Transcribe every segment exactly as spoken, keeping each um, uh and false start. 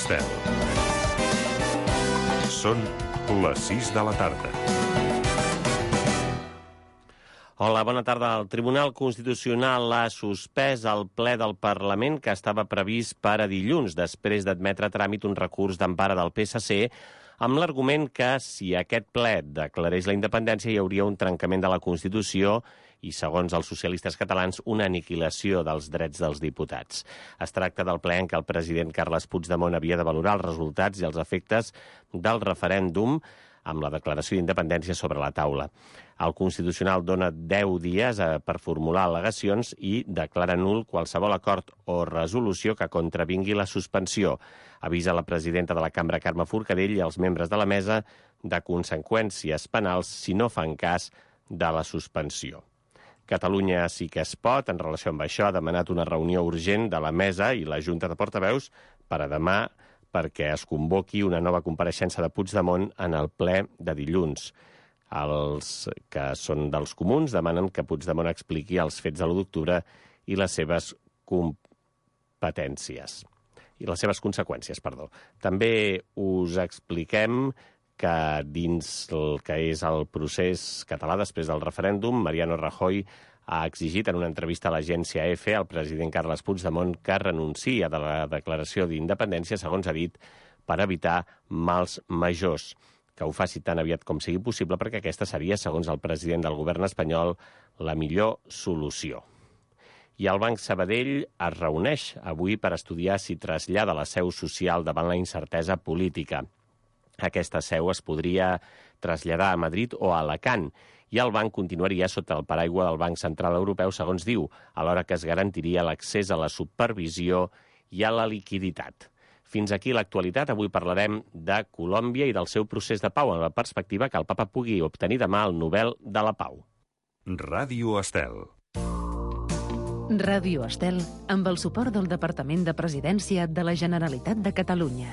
Estel. Són les sis de la tarda. Hola, bona tarda. El Tribunal Constitucional ha suspès el ple del Parlament que estava previst per a dilluns, després d'admetre a tràmit un recurs d'empara del P S C amb l'argument que si aquest ple declarés la independència hi hauria un trencament de la Constitució i, segons els socialistes catalans, una aniquilació dels drets dels diputats. Es tracta del ple en què el president Carles Puigdemont havia de valorar els resultats i els efectes del referèndum amb la declaració d'independència sobre la taula. El Constitucional dona deu dies per formular al·legacions i declara nul qualsevol acord o resolució que contravingui la suspensió. Avisa la presidenta de la Cambra, Carme Forcadell, i els membres de la mesa de conseqüències penals si no fan cas de la suspensió. Catalunya sí que es pot, en relació amb això, ha demanat una reunió urgent de la mesa i la Junta de Portaveus per a demà perquè es convoqui una nova compareixença de Puigdemont en el ple de dilluns. Els que són dels comuns demanen que Puigdemont expliqui els fets de l'u d'octubre i les seves competències. I les seves conseqüències, perdó. També us expliquem que dins el que és el procés català després del referèndum, Mariano Rajoy ha exigit en una entrevista a l'agència EFE al president Carles Puigdemont que renunciï a la declaració d'independència, segons ha dit, per evitar mals majors, que ho faci tan aviat com sigui possible perquè aquesta seria, segons el president del govern espanyol, la millor solució. I el Banc Sabadell es reuneix avui per estudiar si trasllada la seu social davant la incertesa política. Aquesta seu es podria traslladar a Madrid o a Alacant, i el banc continuaria sota el paraigua del Banc Central Europeu, segons diu, alhora que es garantiria l'accés a la supervisió i a la liquiditat. Fins aquí l'actualitat. Avui parlarem de Colòmbia i del seu procés de pau, en la perspectiva que el papa pugui obtenir demà el Nobel de la Pau. Ràdio Estel. Ràdio Estel, amb el suport del Departament de Presidència de la Generalitat de Catalunya.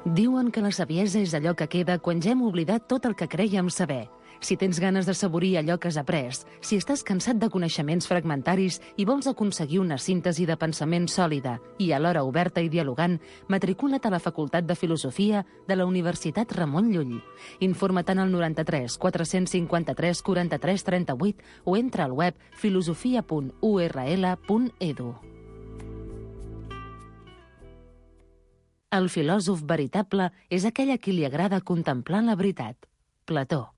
Diuen que la saviesa és allò que queda quan ja hem oblidat tot el que crèiem saber. Si tens ganes d'assaborir allò que has après, si estàs cansat de coneixements fragmentaris i vols aconseguir una síntesi de pensament sòlida i alhora oberta i dialogant, matricula't a la Facultat de Filosofia de la Universitat Ramon Llull. Informa't al noranta-tres quatre cinquanta-tres quaranta-tres trenta-vuit o entra al web filosofia punt u erra ele punt edu. El filòsof veritable és aquell a qui li agrada contemplar la veritat. Plató.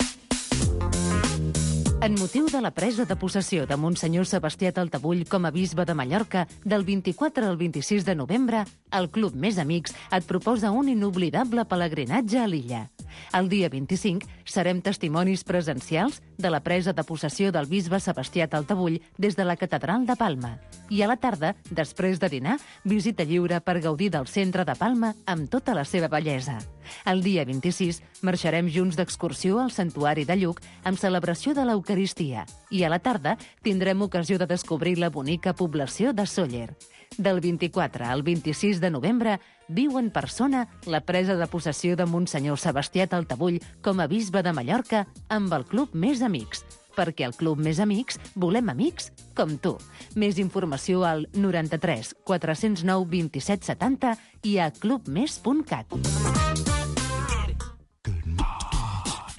En motiu de la presa de possessió de Monsenyor Sebastià Taltabull com a bisbe de Mallorca del vint-i-quatre al vint-i-sis de novembre, el Club Més Amics et proposa un inoblidable pelegrinatge a l'illa. El dia vint-i-cinc serem testimonis presencials de la presa de possessió del bisbe Sebastià Taltabull des de la Catedral de Palma. I a la tarda, després de dinar, visita lliure per gaudir del centre de Palma amb tota la seva bellesa. El dia vint-i-sis marxarem junts d'excursió al Santuari de Lluc amb celebració de l'Eucaristia i a la tarda tindrem ocasió de descobrir la bonica població de Sóller. Del vint-i-quatre al vint-i-sis de novembre viu en persona la presa de possessió de Monsenyor Sebastià Taltabull com a bisbe de Mallorca amb el Club Més Amics, perquè al Club Més Amics volem amics com tu. Més informació al noranta-tres quatre zero nou vint-i-set setanta i a clubmes punt cat.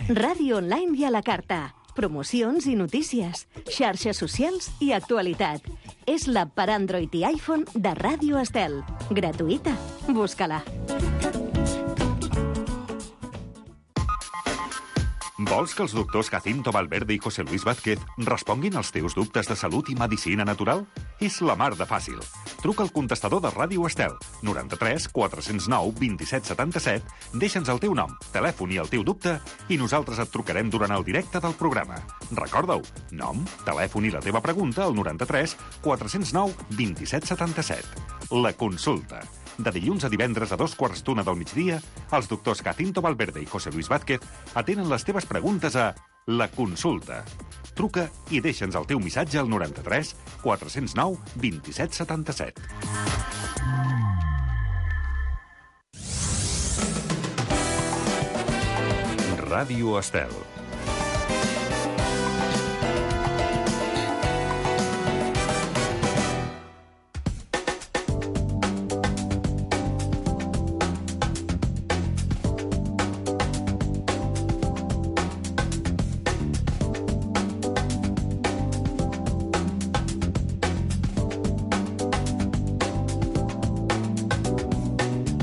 Ràdio online i a la carta. Promocions i notícies, xarxes socials i actualitat. És l'app per Android i iPhone de Ràdio Estel. Gratuïta. Busca-la. Vols que els doctors Jacinto Valverde i José Luis Vázquez responguin als teus dubtes de salut i medicina natural? És la mar de fàcil. Truca al contestador de Ràdio Estel, noranta-tres quatre zero nou vint-i-set setanta-set, deixa'ns el teu nom, telèfon i el teu dubte i nosaltres et trucarem durant el directe del programa. Recorda-ho, nom, telèfon i la teva pregunta al noranta-tres quatre zero nou vint-i-set setanta-set. La consulta. De dilluns a divendres a dos quarts d'una del migdia, els doctors Jacinto Valverde i José Luis Vázquez atenen les teves preguntes a La Consulta. Truca i deixa'ns el teu missatge al noranta-tres quatre zero nou vint-i-set setanta-set. Ràdio Estel.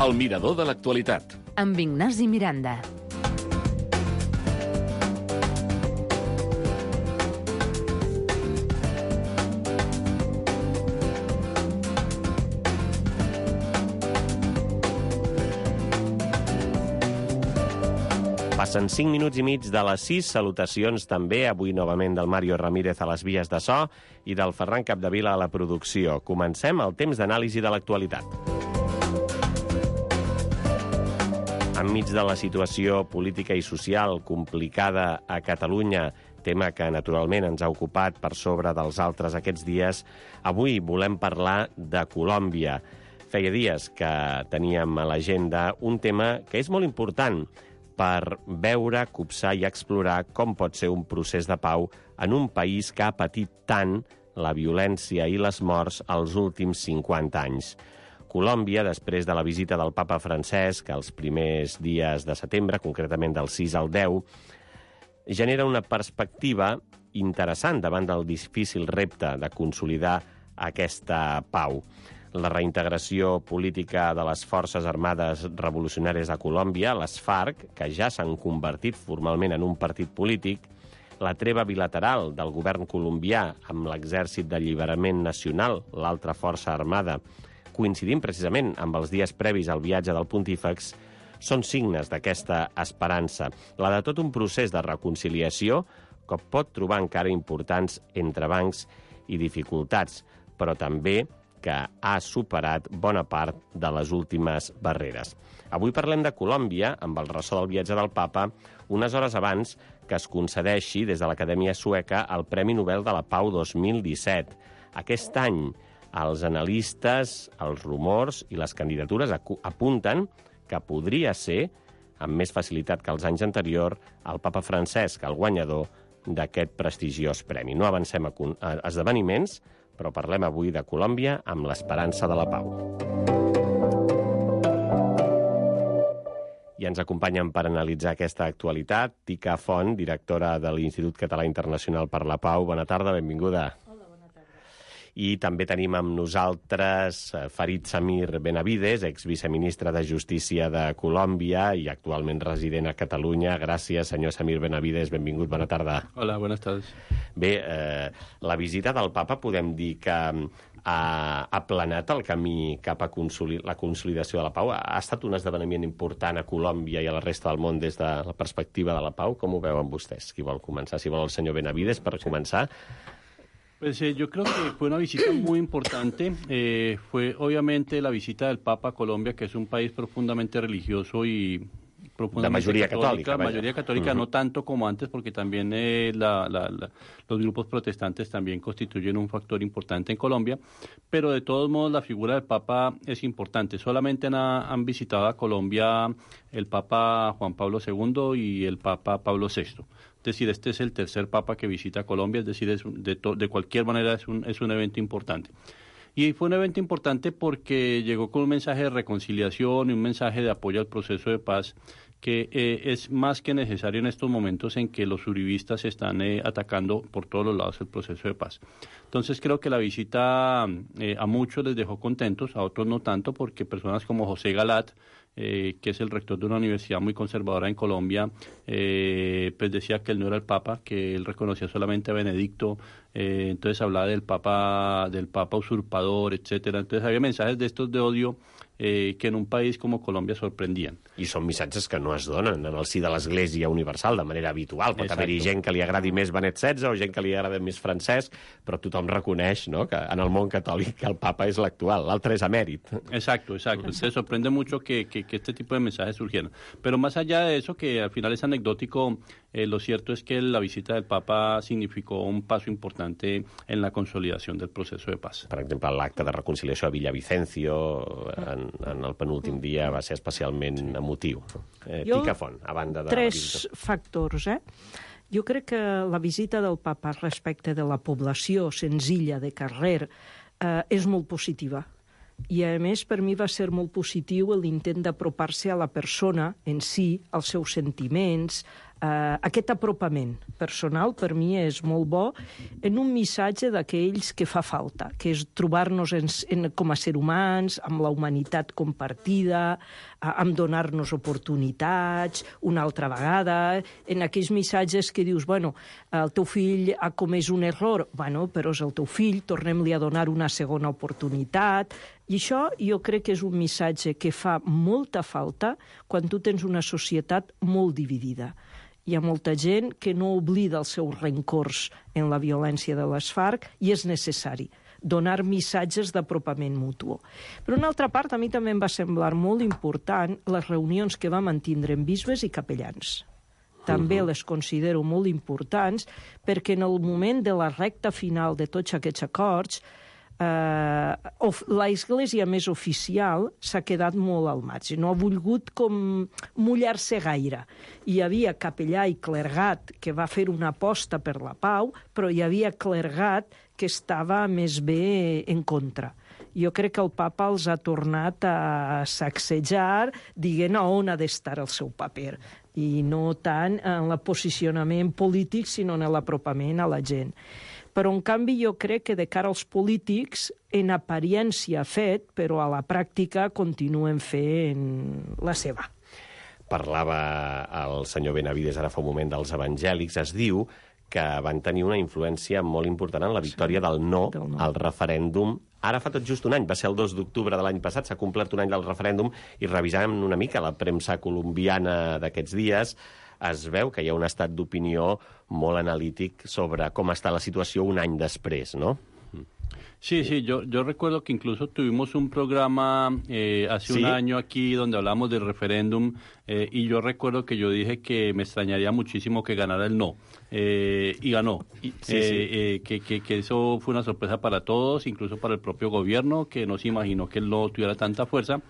El mirador de l'actualitat. Amb Ignasi Miranda. Passen cinc minuts i mig de les sis. Salutacions també, avui novament del Mario Ramírez a les vies de so i del Ferran Capdevila a la producció. Comencem el temps d'anàlisi de l'actualitat. Enmig de la situació política i social complicada a Catalunya, tema que naturalment ens ha ocupat per sobre dels altres aquests dies, avui volem parlar de Colòmbia. Feia dies que teníem a l'agenda un tema que és molt important per veure, copsar i explorar com pot ser un procés de pau en un país que ha patit tant la violència i les morts els últims cinquanta anys. Colòmbia, després de la visita del papa Francesc els primers dies de setembre, concretament del sis al deu, genera una perspectiva interessant davant del difícil repte de consolidar aquesta pau. La reintegració política de les Forces Armades Revolucionàries de Colòmbia, les FARC, que ja s'han convertit formalment en un partit polític, la treva bilateral del govern colombià amb l'Exèrcit d'Alliberament Nacional, l'altra força armada, coincidint precisament amb els dies previs al viatge del pontífex, són signes d'aquesta esperança, la de tot un procés de reconciliació que pot trobar encara importants entrebancs i dificultats, però també que ha superat bona part de les últimes barreres. Avui parlem de Colòmbia, amb el ressò del viatge del papa, unes hores abans que es concedeixi des de l'Acadèmia Sueca el Premi Nobel de la Pau dos mil disset. Aquest any, els analistes, els rumors i les candidatures apunten que podria ser, amb més facilitat que els anys anteriors, el papa Francesc, el guanyador d'aquest prestigiós premi. No avancem a esdeveniments, però parlem avui de Colòmbia amb l'esperança de la pau. I ens acompanyen per analitzar aquesta actualitat Tica Font, directora de l'Institut Català Internacional per la Pau. Bona tarda, benvinguda. I també tenim amb nosaltres Farid Samir Benavides, exviceministre de Justícia de Colòmbia i actualment resident a Catalunya. Gràcies, senyor Samir Benavides. Benvingut, bona tarda. Hola, buenas tardes. Bé, eh, la visita del papa podem dir que ha aplanat el camí cap a consoli- la consolidació de la pau. Ha estat un esdeveniment important a Colòmbia i a la resta del món des de la perspectiva de la pau. Com ho veuen vostès? Qui vol començar? Si vol el senyor Benavides, per començar. Pues eh, yo creo que fue una visita muy importante. Eh, fue obviamente la visita del Papa a Colombia, que es un país profundamente religioso y profundamente la mayoría católica. católica mayoría católica, uh-huh. No tanto como antes, porque también eh, la, la, la, los grupos protestantes también constituyen un factor importante en Colombia. Pero de todos modos la figura del Papa es importante. Solamente han, han visitado a Colombia el Papa Juan Pablo segundo y el Papa Pablo sexto. Es decir, este es el tercer papa que visita Colombia, es decir, es de, to, de cualquier manera es un, es un evento importante. Y fue un evento importante porque llegó con un mensaje de reconciliación y un mensaje de apoyo al proceso de paz que eh, es más que necesario en estos momentos en que los uribistas están eh, atacando por todos los lados el proceso de paz. Entonces creo que la visita eh, a muchos les dejó contentos, a otros no tanto, porque personas como José Galat, Eh, que es el rector de una universidad muy conservadora en Colombia, eh, pues decía que él no era el Papa, que él reconocía solamente a Benedicto, eh, entonces hablaba del Papa, del Papa usurpador, etcétera. Entonces había mensajes de estos de odio eh, que en un país como Colòmbia sorprendien. I són missatges que no es donen en el si de l'Església Universal de manera habitual. Pot haver-hi gent que li agradi més Benet setze o gent que li agrada més Francesc, però tothom reconeix, ¿no?, que en el món catòlic el Papa és l'actual, l'altre és emèrit. Exacto, exacto. Entonces sorprende mucho que, que, que este tipo de mensajes surgieran. Pero más allá de eso, que al final es anecdótico, eh, lo cierto es que la visita del Papa significó un paso importante en la consolidación del proceso de paz. Per exemple, l'acte de reconciliació a Villavicencio en, en el penúltim dia va ser especialment emotiu. Eh, Tica Font, a banda de... Tres factors, eh? Jo crec que la visita del papa respecte de la població senzilla de carrer eh, és molt positiva. I, a més, per mi va ser molt positiu l'intent d'apropar-se a la persona en si, als seus sentiments, Uh, aquest apropament personal per mi és molt bo en un missatge d'aquells que fa falta, que és trobar-nos en, en, com a ser humans, amb la humanitat compartida, uh, amb donar-nos oportunitats una altra vegada, en aquells missatges que dius, bueno, el teu fill ha comès un error, bueno, però és el teu fill, tornem-li a donar una segona oportunitat. I això jo crec que és un missatge que fa molta falta quan tu tens una societat molt dividida. Hi ha molta gent que no oblida els seus rencors en la violència de les FARC i és necessari donar missatges d'apropament mutu. Per una altra part, a mi també em va semblar molt important les reunions que vam mantindre amb bisbes i capellans. També les considero molt importants perquè en el moment de la recta final de tots aquests acords Uh, la església més oficial s'ha quedat molt al marge, no ha volgut com mullar-se gaire. Hi havia capellà i clergat que va fer una aposta per la pau, però hi havia clergat que estava més bé en contra. Jo crec que el papa els ha tornat a sacsejar dient on ha d'estar el seu paper, i no tant en el posicionament polític, sinó en l'apropament a la gent. Però, en canvi, jo crec que de cara als polítics, en apariència ha fet, però a la pràctica continuen fent la seva. Parlava el senyor Benavides ara fa un moment dels evangèlics. Es diu que van tenir una influència molt important en la victòria sí, del, no del no al referèndum. Ara fa tot just un any, va ser el dos d'octubre de l'any passat, s'ha complert un any del referèndum, i revisant una mica la premsa colombiana d'aquests dies, es veu que hi ha un estat d'opinió molt analític sobre com està la situació un any després, ¿no? Sí, sí, yo, yo recuerdo que incluso tuvimos un programa eh, hace ¿Sí? un año aquí donde hablamos del referéndum eh, y yo recuerdo que yo dije que me extrañaría muchísimo que ganara el no eh, y ganó. Sí, eh, sí. Eh, que, que, que eso fue una sorpresa para todos, incluso para el propio gobierno, que no se imaginó que el no tuviera tanta fuerza.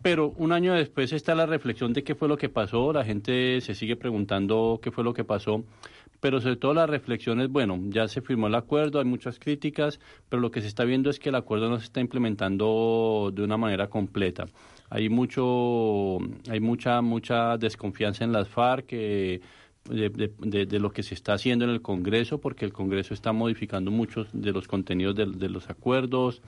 Pero un año después está la reflexión de qué fue lo que pasó, la gente se sigue preguntando qué fue lo que pasó, pero sobre todo la reflexión es, bueno, ya se firmó el acuerdo, hay muchas críticas, pero lo que se está viendo es que el acuerdo no se está implementando de una manera completa. Hay mucho, hay mucha, mucha desconfianza en las FARC, eh, De, de, de lo que se está haciendo en el Congreso, porque el Congreso está modificando muchos de los contenidos de, de los acuerdos.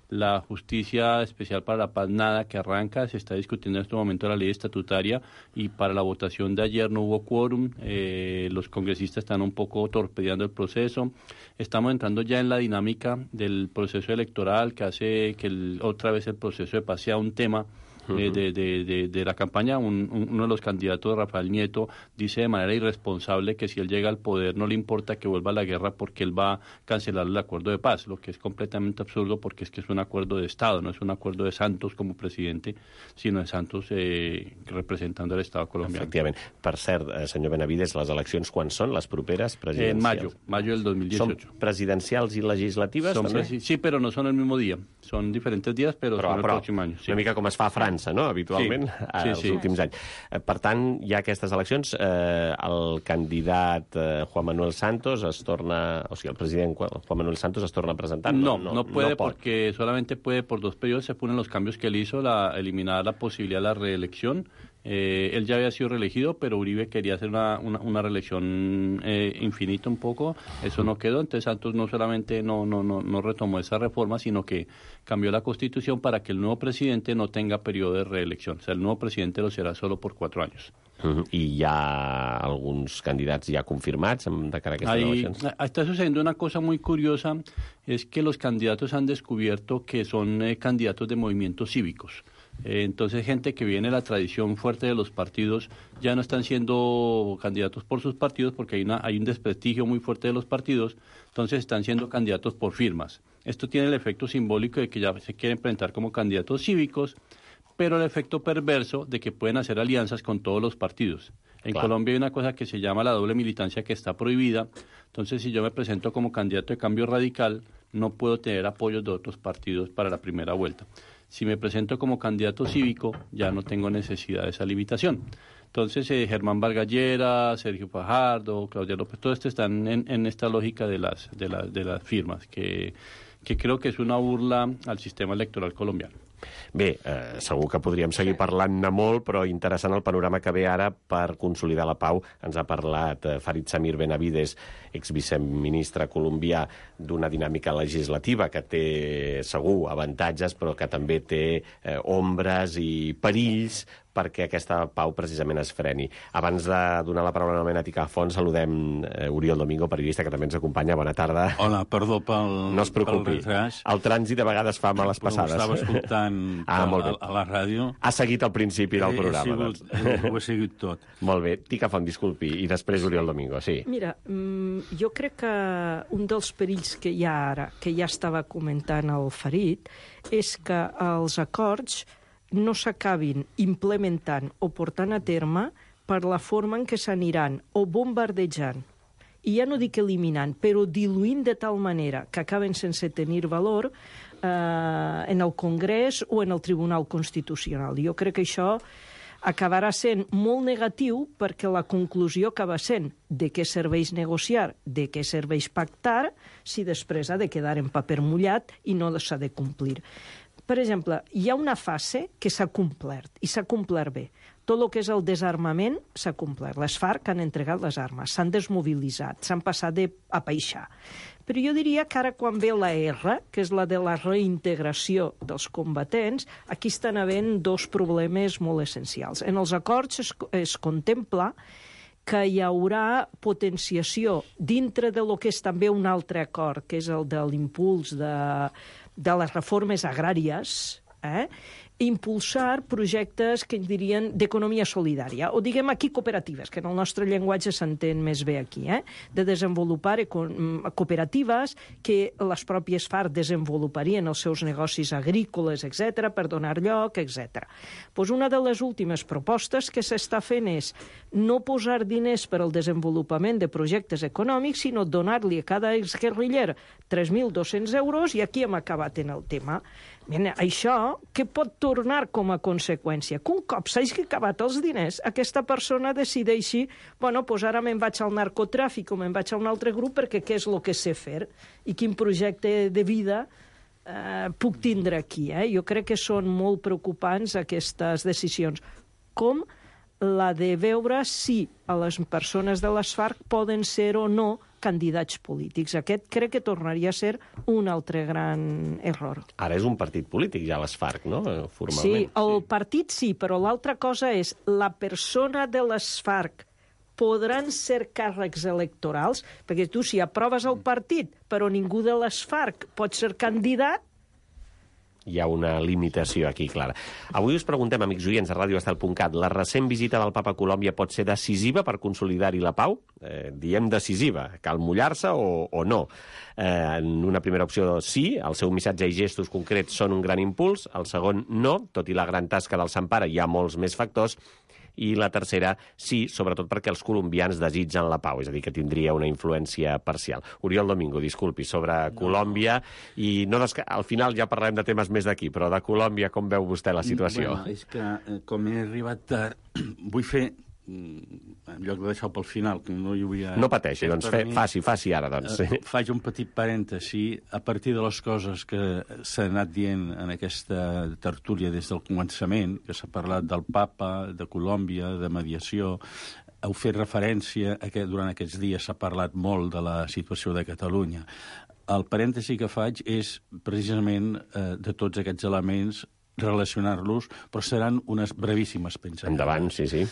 La Justicia Especial para la Paz, nada que arranca, se está discutiendo en este momento la ley estatutaria y para la votación de ayer no hubo quórum, eh, los congresistas están un poco torpedeando el proceso. Estamos entrando ya en la dinámica del proceso electoral que hace que el, otra vez el proceso de paz sea un tema De, de, de, de la campaña. Un, un, uno de los candidatos, Rafael Nieto, dice de manera irresponsable que si él llega al poder no le importa que vuelva a la guerra porque él va a cancelar el acuerdo de paz, lo que es completamente absurdo porque es que es un acuerdo de Estado, no es un acuerdo de Santos como presidente, sino de Santos eh, representando al Estado colombiano. Efectivament. Per cert, eh, senyor Benavides, les eleccions quan són? Les properes presidencials? En mayo, mayo del dos mil dieciocho. ¿Son presidencials i legislatives? Son presi sí, pero no son el mismo día. Son diferentes días, pero, pero son el però, próximo año. Sí. Una mica com es fa a França, no?, habitualment, sí, sí, els sí. últims anys. Per tant, hi ha aquestes eleccions. Eh, el candidat eh, Juan Manuel Santos es torna... O sigui, el president Juan Manuel Santos es torna a presentar. No, no, no puede no porque solamente puede por dos periodos. Se ponen los cambios que él hizo, la, eliminar la posibilidad de la reelección. Eh, él ya había sido reelegido, pero Uribe quería hacer una, una, una reelección eh, infinita un poco. Eso no quedó. Entonces Santos no solamente no, no, no, no retomó esa reforma, sino que cambió la Constitución para que el nuevo presidente no tenga periodo de reelección. O sea, el nuevo presidente lo será solo por cuatro años. Uh-huh. I hi ha alguns candidats ja confirmats de cara a aquestes eleccions? Está sucediendo una cosa muy curiosa, es que los candidatos han descubierto que son eh, candidatos de movimientos cívicos. Eh, entonces, gente que viene de la tradición fuerte de los partidos ya no están siendo candidatos por sus partidos porque hay, una, hay un desprestigio muy fuerte de los partidos, entonces están siendo candidatos por firmas. Esto tiene el efecto simbólico de que ya se quieren presentar como candidatos cívicos, pero el efecto perverso de que pueden hacer alianzas con todos los partidos. En claro. Colombia hay una cosa que se llama la doble militancia que está prohibida, entonces si yo me presento como candidato de Cambio Radical, no puedo tener apoyos de otros partidos para la primera vuelta. Si me presento como candidato cívico, ya no tengo necesidad de esa limitación. Entonces, eh, Germán Vargas Lleras, Sergio Fajardo, Claudia López, todos estos están en, en esta lógica de las, de, la, de las firmas, que, que creo que es una burla al sistema electoral colombiano. Bé, eh, segur que podríem seguir parlant-ne molt, però interessant el panorama que ve ara per consolidar la pau. Ens ha parlat eh, Farid Samir Benavides, exviceministre colombià, d'una dinàmica legislativa que té segur avantatges, però que també té eh, ombres i perills perquè aquesta pau precisament es freni. Abans de donar la paraula a Ètica Font, saludem eh, Oriol Domingo, periodista, que també ens acompanya. Bona tarda. Hola, perdó pel, no es preocupi. pel retras. El trànsit a vegades fa males passades. Però ho estava escoltant ah, a, a la ràdio. Ha seguit al principi del programa. He sigut, doncs. Ho he seguit tot. Molt bé. Tica Font, disculpi. I després Oriol Domingo, sí. Mira, jo crec que un dels perills que hi ha ara, que ja estava comentant el Farid, és que els acords no s'acabin implementant o portant a terme per la forma en què s'aniran o bombardejant, i ja no dic eliminant, però diluint de tal manera que acaben sense tenir valor eh, en el Congrés o en el Tribunal Constitucional. Jo crec que això acabarà sent molt negatiu perquè la conclusió acaba sent de què serveix negociar, de què serveix pactar, si després ha de quedar en paper mullat i no s'ha de complir. Per exemple, hi ha una fase que s'ha complert, i s'ha complert bé. Tot el que és el desarmament s'ha complert. Les FARC han entregat les armes, s'han desmobilitzat, s'han passat de, a peixar. Però jo diria que ara quan ve la R, que és la de la reintegració dels combatents, aquí estan havent dos problemes molt essencials. En els acords es, es contempla que hi haurà potenciació dintre de lo que és també un altre acord, que és el de l'impuls de, de les reformes agràries, eh? Impulsar projectes que ens dirien d'economia solidària, o diguem aquí cooperatives, que en el nostre llenguatge s'entén més bé aquí, eh? De desenvolupar cooperatives que les pròpies FARC desenvoluparien els seus negocis agrícoles, etcètera, per donar lloc, etcètera. Pues una de les últimes propostes que s'està fent és no posar diners per al desenvolupament de projectes econòmics, sinó donar-li a cada exguerriller tres mil dos-cents euros, i aquí hem acabat en el tema. Bien, això, què pot tornar com a conseqüència? Que un cop s'hagi acabat els diners, aquesta persona decideixi, bueno, doncs ara me'n vaig al narcotràfic o me'n vaig a un altre grup perquè què és el que sé fer i quin projecte de vida eh, puc tindre aquí. Eh? Jo crec que són molt preocupants aquestes decisions. Com la de veure si a les persones de les FARC poden ser o no candidats polítics. Aquest crec que tornaria a ser un altre gran error. Ara és un partit polític, ja les FARC, no? Formalment. Sí, el partit sí, però l'altra cosa és la persona de les FARC podran ser càrrecs electorals, perquè tu si aproves el partit però ningú de les FARC pot ser candidat, hi ha una limitació aquí clara. Avui us preguntem, amics oients de ràdio estel punt cat, la recent visita del papa a Colòmbia pot ser decisiva per consolidar-hi la pau? Eh, diem decisiva. Cal mullar-se o, o no? Eh, en una primera opció, sí. El seu missatge i gestos concrets són un gran impuls. El segon, no. Tot i la gran tasca del Sant Pare, hi ha molts més factors. I la tercera, sí, sobretot perquè els colombians desitgen la pau, és a dir, que tindria una influència parcial. Oriol Domingo, disculpi, sobre no. Colòmbia, i no desca... al final ja parlarem de temes més d'aquí, però de Colòmbia com veu vostè la situació? Bueno, és que com he arribat tard, vull fer, en lloc de deixar pel final, que no hi hauria... No pateixi, doncs fe, faci, faci ara, doncs. Eh, faig un petit parèntesi a partir de les coses que s'ha anat dient en aquesta tertúlia des del començament, que s'ha parlat del papa, de Colòmbia, de mediació. Heu fet referència a que durant aquests dies s'ha parlat molt de la situació de Catalunya. El parèntesi que faig és precisament eh, de tots aquests elements relacionar-los, però seran unes brevíssimes pinzellades. Endavant, sí, sí.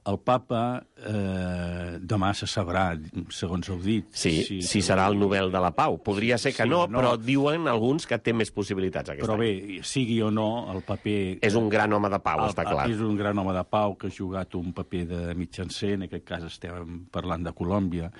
El papa eh, demà se sabrà, segons heu dit. Sí, si, si serà el Nobel de la Pau. Podria ser que sí, no, no, però diuen alguns que té més possibilitats aquest però any. Però bé, sigui o no, el paper... És un gran home de pau, el, està clar. És un gran home de pau que ha jugat un paper de mitjancer, en aquest cas estem parlant de Colòmbia.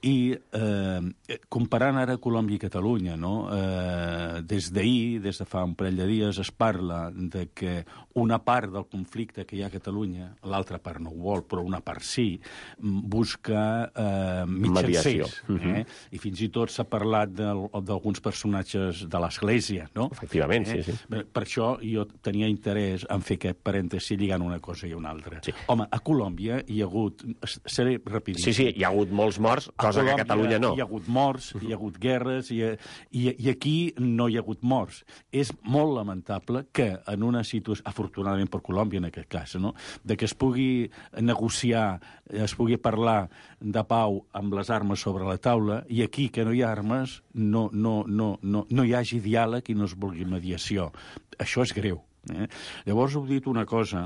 I eh, comparant ara Colòmbia i Catalunya, no? eh, des d'ahir, des de fa un parell de dies, es parla de que una part del conflicte que hi ha a Catalunya, l'altra part no ho vol, però una part sí, busca eh, mitjancers. Eh? I fins i tot s'ha parlat d'alguns personatges de l'Església, no? Efectivament, eh? sí, sí. Per això jo tenia interès en fer aquest parèntesi lligant una cosa i una altra. Sí. Home, a Colòmbia hi ha hagut... Seré rapidíssim. Sí, sí, hi ha hagut molts morts, cosa Cosa que a Catalunya no. Hi ha hagut morts, hi ha hagut guerres, i, i, i aquí no hi ha hagut morts. És molt lamentable que en una situació, afortunadament per Colòmbia en aquest cas, no? de que es pugui negociar, es pugui parlar de pau amb les armes sobre la taula, i aquí, que no hi ha armes, no, no, no, no, no hi hagi diàleg i no es vulgui mediació. Això és greu. Eh? Llavors heu dit una cosa,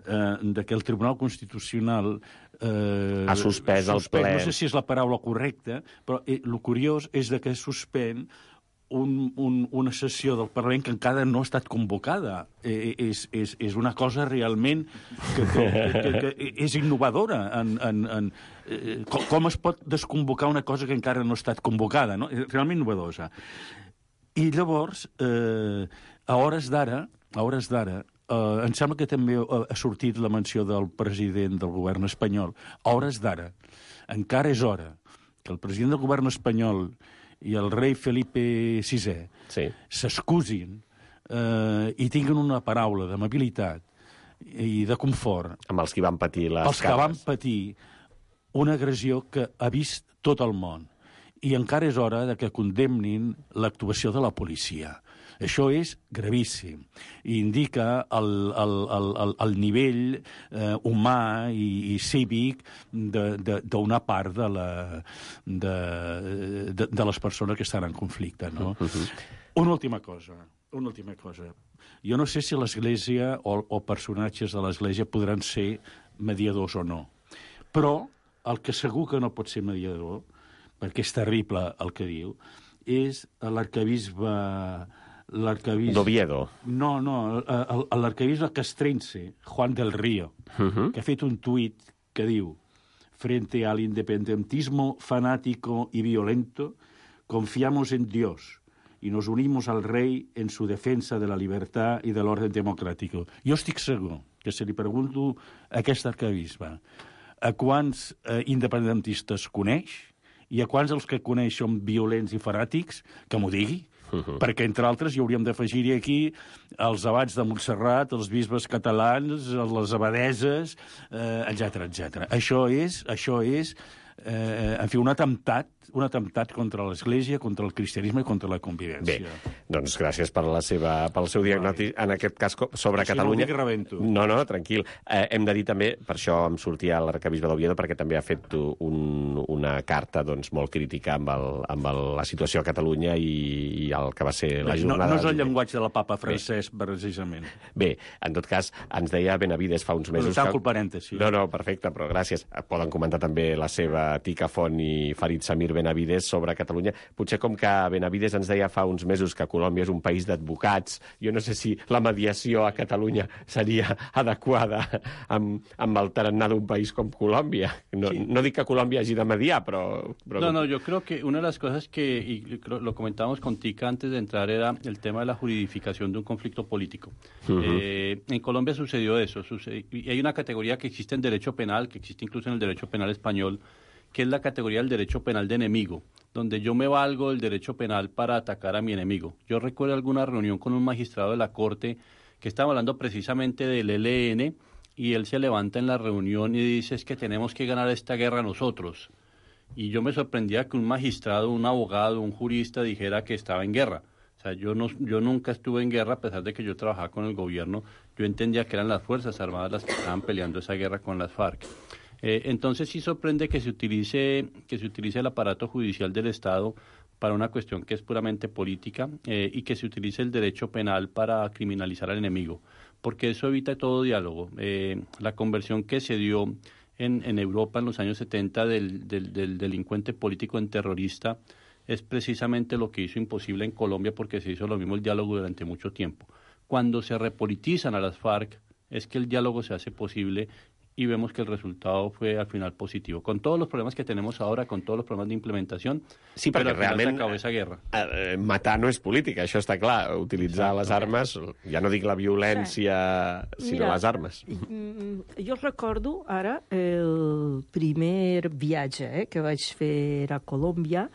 eh, de que el Tribunal Constitucional eh, ha suspès el ple. No sé si és la paraula correcta, però eh, el curiós és de que suspèn un, un, una sessió del Parlament que encara no ha estat convocada. Eh, és, és, és una cosa realment que, que, que, que, que és innovadora. En, en, en, eh, com, com es pot desconvocar una cosa que encara no ha estat convocada? No? És realment innovadosa. I llavors, eh, a hores d'ara, a hores d'ara, eh, em sembla que també ha sortit la menció del president del govern espanyol. A hores d'ara, encara és hora que el president del govern espanyol i el rei Felipe sisè sí. s'excusin eh, i tinguin una paraula d'amabilitat i de confort amb els que van patir les els que van patir una agressió que ha vist tot el món. I encara és hora de que condemnin l'actuació de la policia. Això és gravíssim i indica el, el, el, el, el nivell eh, humà i, i cívic d'una part de, la, de, de, de les persones que estan en conflicte. No? Uh-huh. Una última cosa, una última cosa. Jo no sé si l'Església o, o personatges de l'Església podran ser mediadors o no, però el que segur que no pot ser mediador, perquè és terrible el que diu, és l'arquebisbe... l'arquebisbe... D'Oviedo. No, no, l'arquebisbe castrense, Juan del Río, uh-huh. que ha fet un tuit que diu: frente al independentismo fanático y violento, confiamos en Dios y nos unimos al rey en su defensa de la libertad y del orden democrático. Jo estic segur que si li pregunto a aquest arquebisbe a quants eh, independentistes coneix i a quants els que coneix són violents i fanàtics, que m'ho digui. Uh-huh. Perquè, entre altres, hi hauríem d'afegir-hi aquí els abats de Montserrat, els bisbes catalans, les abadeses, eh, etcètera, etcètera. Això és, això és eh, en fi, un atemptat, un atemptat contra l'Església, contra el cristianisme i contra la convivència. Bé, doncs gràcies per la seva, pel seu diagnòstic, en aquest cas sobre si Catalunya. No, que rebento. No, no, tranquil. Eh, hem de dir també, per això em sortia l'arquebisbe d'Oviedo, perquè també ha fet un, una carta doncs, molt crítica amb, el, amb el, la situació a Catalunya i, i el que va ser la jornada... No, no és el llenguatge de la papa Francesc, Bé. precisament. Bé, en tot cas, ens deia Benavides fa uns mesos... Tanco el parèntesi. No, no, perfecte, però gràcies. Poden comentar també la seva tica Font i Farid Samir Benavides sobre Catalunya. Potser com que Benavides ens deia fa uns mesos que Colòmbia és un país d'advocats, jo no sé si la mediació a Catalunya seria adequada amb, amb el tarannà d'un país com Colòmbia. No, sí. no dic que Colòmbia hagi de mediar, però... però... No, no, yo creo que una de las cosas que, y lo comentábamos con Tica antes de entrar, era el tema de la juridificación de un conflicto político. Uh-huh. eh, en Colombia sucedió eso, sucedió, y hay una categoría que existe en derecho penal, que existe incluso en el derecho penal español, que es la categoría del derecho penal de enemigo, donde yo me valgo del derecho penal para atacar a mi enemigo. Yo recuerdo alguna reunión con un magistrado de la Corte que estaba hablando precisamente del E L N, y él se levanta en la reunión y dice: es que tenemos que ganar esta guerra nosotros. Y yo me sorprendía que un magistrado, un abogado, un jurista dijera que estaba en guerra. O sea, yo, no, yo nunca estuve en guerra, a pesar de que yo trabajaba con el gobierno. Yo entendía que eran las Fuerzas Armadas las que estaban peleando esa guerra con las FARC. Eh, entonces sí sorprende que se utilice que se utilice el aparato judicial del Estado para una cuestión que es puramente política, eh, y que se utilice el derecho penal para criminalizar al enemigo, porque eso evita todo diálogo. Eh, la conversión que se dio en, en Europa en los años setenta del, del, del delincuente político en terrorista es precisamente lo que hizo imposible en Colombia, porque se hizo lo mismo el diálogo durante mucho tiempo. Cuando se repolitizan a las FARC es que el diálogo se hace posible, y vemos que el resultado fue al final positivo. Con todos los problemas que tenemos ahora, con todos los problemas de implementación, sí, però al final realment s'acaba esa guerra. Eh, matar no és política, això està clar. Utilitzar Exacte. les armes, ja no dic la violència, sí. sinó Mira, les armes. Jo recordo ara el primer viatge eh, que vaig fer a Colòmbia.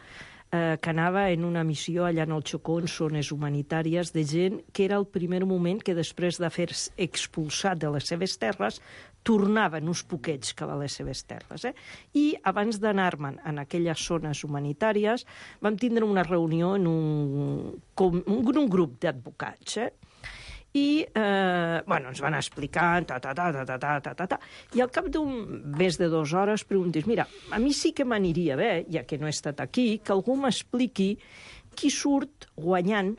eh, que anava en una missió allà en el Chocó, en zones humanitàries, de gent que era el primer moment que després d'haver-se expulsat de les seves terres tornaven uns poquets cap a les seves terres. Eh? I abans d'anar-me'n en aquelles zones humanitàries vam tindre una reunió en un, com, un, un grup d'advocats, eh? I eh, bueno, ens van explicar ta, ta, ta, ta, ta, ta, ta, ta, ta. I al cap d'un més de dues hores preguntes, mira, a mi sí que m'aniria bé, ja que no he estat aquí, que algú m'expliqui qui surt guanyant,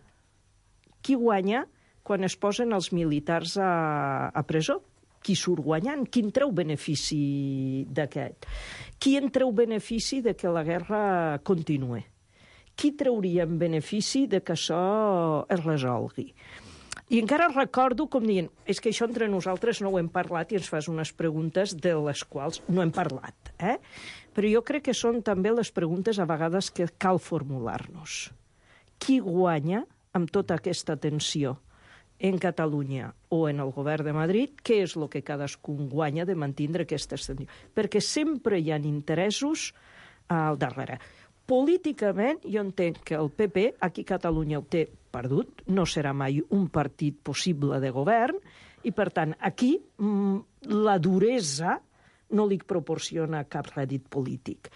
qui guanya quan es posen els militars a, a presó, qui surt guanyant, qui en treu benefici d'aquest, qui en treu benefici de que la guerra continuï, qui trauria en benefici de que això es resolgui. I encara recordo com dient, és que això entre nosaltres no ho hem parlat i ens fas unes preguntes de les quals no hem parlat. Eh? Però jo crec que són també les preguntes a vegades que cal formular-nos. Qui guanya amb tota aquesta tensió en Catalunya o en el govern de Madrid? Què és el que cadascun guanya de mantenir aquesta tensió? Perquè sempre hi ha interessos al darrere. Políticament, jo entenc que el P P, aquí a Catalunya ho té perdut, no serà mai un partit possible de govern, i per tant, aquí la duresa no li proporciona cap rèdit polític.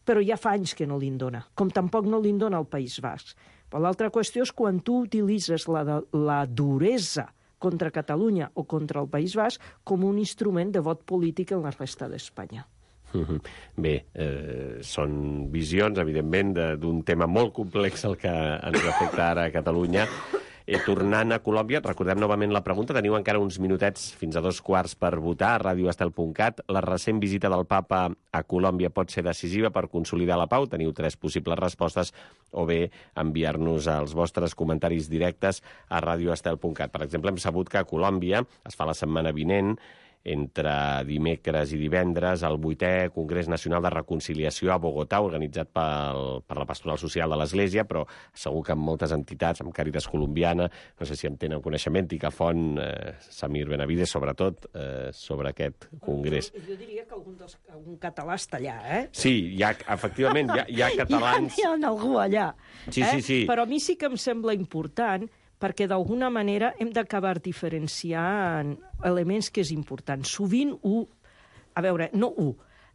Però ja fa anys que no li'n dona, com tampoc no li'n dona al País Basc. Però l'altra qüestió és quan tu utilitzes la, la duresa contra Catalunya o contra el País Basc com un instrument de vot polític en la resta d'Espanya. Bé, eh, són visions, evidentment, d'un tema molt complex el que ens afecta ara a Catalunya. Eh, tornant a Colòmbia, recordem novament la pregunta, teniu encara uns minutets fins a dos quarts per votar a radio estel punt cat. La recent visita del papa a Colòmbia pot ser decisiva per consolidar la pau? Teniu tres possibles respostes, o bé enviar-nos els vostres comentaris directes a radio estel punt cat. Per exemple, hem sabut que a Colòmbia es fa la setmana vinent, entre dimecres i divendres, el vuitè Congrés Nacional de Reconciliació a Bogotà, organitzat pel, per la Pastoral Social de l'Església, però segur que amb moltes entitats, amb Càritas Colombiana, no sé si en tenen coneixement, Icafont, eh, Samir Benavides, sobretot, eh, sobre aquest congrés. Jo, jo diria que algun, dels, algun català està allà, eh? Sí, hi ha, efectivament, hi ha, hi ha catalans... Hi ha, hi ha algú allà. Sí, eh? sí, sí. Però a mi sí que em sembla important perquè d'alguna manera hem d'acabar diferenciant elements que és important. Sovint, u, a veure, no u,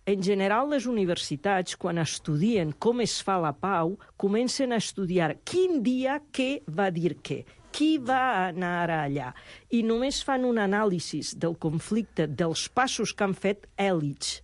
en general les universitats, quan estudien com es fa la pau, comencen a estudiar quin dia què va dir què, qui va anar allà, i només fan un anàlisi del conflicte, dels passos que han fet èlits.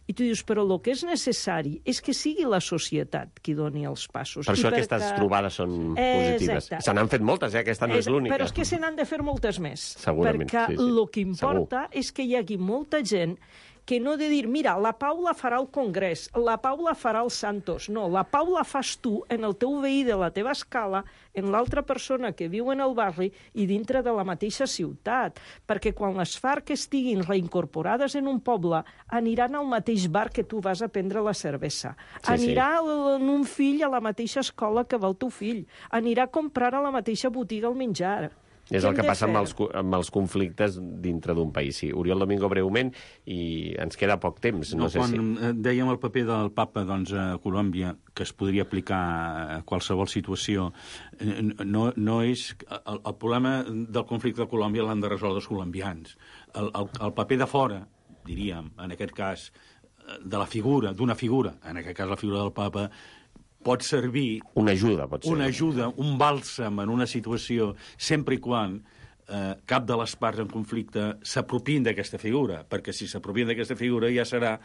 I tu dius, però el que és necessari és que sigui la societat qui doni els passos. Per això I aquestes perquè... trobades són positives. Se n'han fet moltes, eh? Aquesta no és, és l'única. Però és que se n'han de fer moltes més. Segurament, perquè sí, sí. el que importa Segur. És que hi hagi molta gent que no de dir, mira, la pau la farà el Congrés, la pau la farà el Santos. No, la pau la fas tu en el teu veí de la teva escala, en l'altra persona que viu en el barri i dintre de la mateixa ciutat. Perquè quan les FARC estiguin reincorporades en un poble, aniran al mateix bar que tu vas a prendre la cervesa. Sí, anirà sí. en un fill a la mateixa escola que va el teu fill. Anirà a comprar a la mateixa botiga el menjar. És el que passa amb els, amb els conflictes dintre d'un país. Sí, Oriol Domingo, breument, i ens queda poc temps. No, no sé quan si... dèiem el paper del papa doncs, a Colòmbia, que es podria aplicar a qualsevol situació, no, no és... El, el problema del conflicte de Colòmbia l'han de resoldre els colombians. El, el, el paper de fora, diríem, en aquest cas, de la figura, d'una figura, en aquest cas la figura del papa, pot servir... Una ajuda, pot ser. Una ajuda, un bàlsam en una situació, sempre i quan eh, cap de les parts en conflicte s'apropien d'aquesta figura, perquè si s'apropien d'aquesta figura ja serà...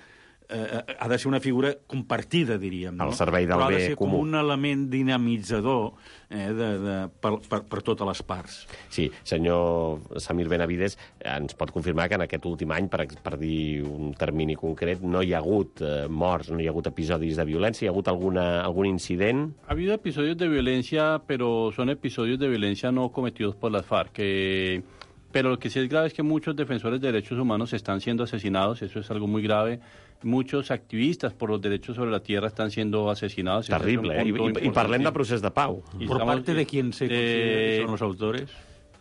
Eh, ha de ser una figura compartida, diríem. No? Al servei del bé comú. Però ha de ser com un element dinamitzador eh, de, de, per, per, per totes les parts. Sí, senyor Samir Benavides, ens pot confirmar que en aquest últim any, per, per dir un termini concret, no hi ha hagut eh, morts, no hi ha hagut episodis de violència, hi ha hagut alguna, algun incident? Ha habido episodios de violencia, pero son episodios de violencia no cometidos por las FARC. Que... Pero lo que sí es grave es que muchos defensores de derechos humanos están siendo asesinados, eso es algo muy grave. Muchos activistas por los derechos sobre la tierra están siendo asesinados. Terrible, eh? I, i, i parlem de procés de pau. ¿Por parte de quién se considera que son los autores?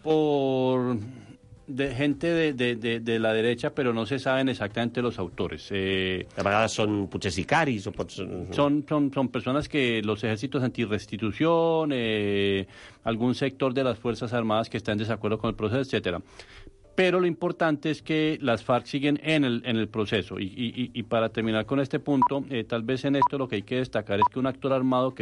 Por de gente de, de, de, de la derecha, pero no se saben exactamente los autores. Eh, de vegades són potser sicaris o pots... Son, son, son personas que los ejércitos antirrestitución, eh, algún sector de las Fuerzas Armadas que está en desacuerdo con el proceso, etcétera. Pero lo importante es que las FARC siguen en el, en el proceso. Y, y, y para terminar con este punto, eh, tal vez en esto lo que hay que destacar es que un actor armado que